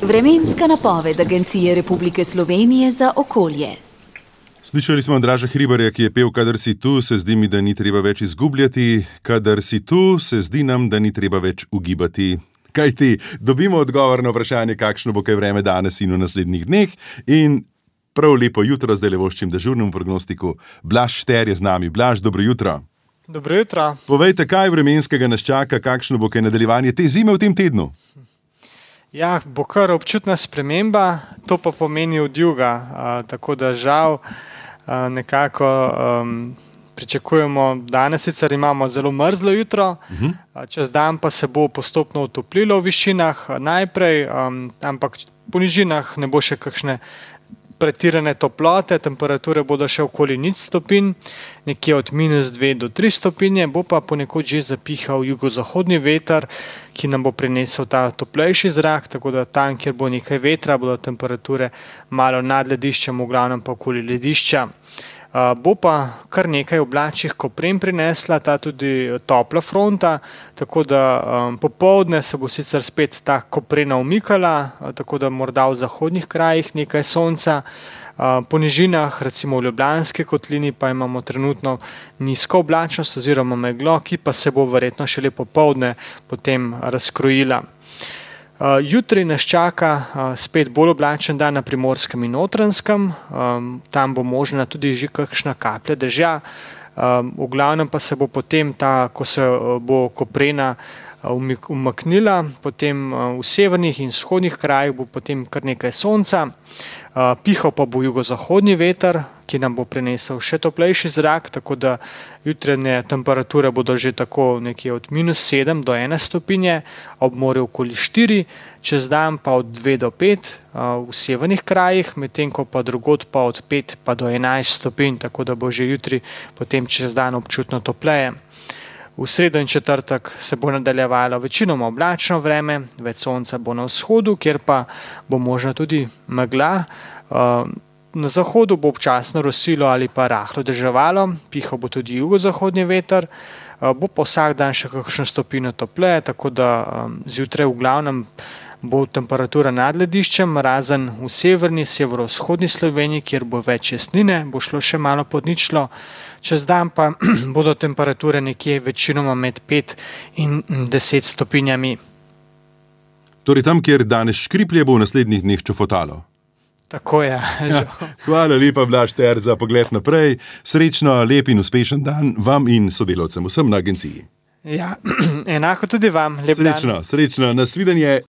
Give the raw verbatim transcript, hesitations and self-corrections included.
Vremenska napoved Agencije Republike Slovenije za okolje. Slišali smo Andraža Hribarja, ki je pel: kadar si tu, se zdi mi, da ni treba več izgubljati, kadar si tu, se zdi nam, da ni treba več ugibati. Kaj ti, dobimo odgovor na vprašanje, kakšno bo kaj vreme danes in v naslednjih dneh, in prav lepo jutro zdaj le voščim dežurnemu prognostiku. Blaž Šter je z nami. Blaž, dobro jutro. Dobro jutro. Povejte, kaj vremenskega nas čaka, kakšno bo kaj nadaljevanje te zime v tem tednu? Ja, bo kar občutna sprememba, to pa pomeni odjuga, uh, tako da žal uh, nekako um, pričakujemo, danes sicer imamo zelo mrzlo jutro, uh-huh. uh, čez dan pa se bo postopno otoplilo v višinah uh, najprej, um, ampak po nižinah ne bo še kakšne pretirane toplote, temperature bodo še okoli nič stopinj, nekje od minus dve do tri stopinje, bo pa ponekod že zapihal jugozahodni veter, ki nam bo prinesel ta toplejši zrak, tako da tam, kjer bo nekaj vetra, bodo temperature malo nad lediščem, v glavnem pa okoli ledišča. Uh, bo pa kar nekaj oblačnih kopren prinesla, ta tudi topla fronta, tako da um, popoldne se bo sicer spet ta koprena umikala, uh, tako da morda v zahodnih krajih nekaj sonca. Uh, po nižinah, recimo v Ljubljanski kotlini, pa imamo trenutno nizko oblačnost oziroma meglo, ki pa se bo verjetno šele popoldne potem razkrojila. Uh, jutri nas čaka uh, spet bolj oblačen dan na Primorskem in Notranjskem, um, tam bo možna tudi že kakšna kaplja dežja, um, v glavnem pa se bo potem ta, ko se uh, bo koprena uh, umaknila, potem uh, v severnih in vzhodnih krajih bo potem kar nekaj sonca, uh, pihal pa bo jugozahodni veter, ki nam bo prinesel še toplejši zrak, tako da jutranje temperature bodo že tako nekje od minus sedem do ene stopinje, ob morju okoli štiri, čez dan pa od dve do pet uh, v severnih krajih, medtem ko pa drugod pa od pet pa do enajst stopinj, tako da bo že jutri potem čez dan občutno topleje. V sredo in četrtek se bo nadaljevalo večinoma oblačno vreme, več sonca bo na vzhodu, kjer pa bo možna tudi megla. Uh, Na zahodu bo občasno rosilo ali pa rahlo deževalo, pihal bo tudi jugozahodni veter, bo pa vsak dan še kakšno stopinjo topleje, tako da zjutraj v glavnem bo temperatura nad lediščem, razen v severni, severovzhodni Sloveniji, kjer bo več jesnine, bo šlo še malo pod ničlo, čez dan pa bodo temperature nekje večinoma med pet in deset stopinjami. Torej tam, kjer danes škriplje, bo v naslednjih dneh čofotalo. Tako je. Ja, hvala lepa, Blaž Šter, za pogled naprej. Srečno, lep in uspešen dan vam in sodelavcem, vsem na agenciji. Ja, enako tudi vam. Lep srečno, dan. Srečno, nasvidenje.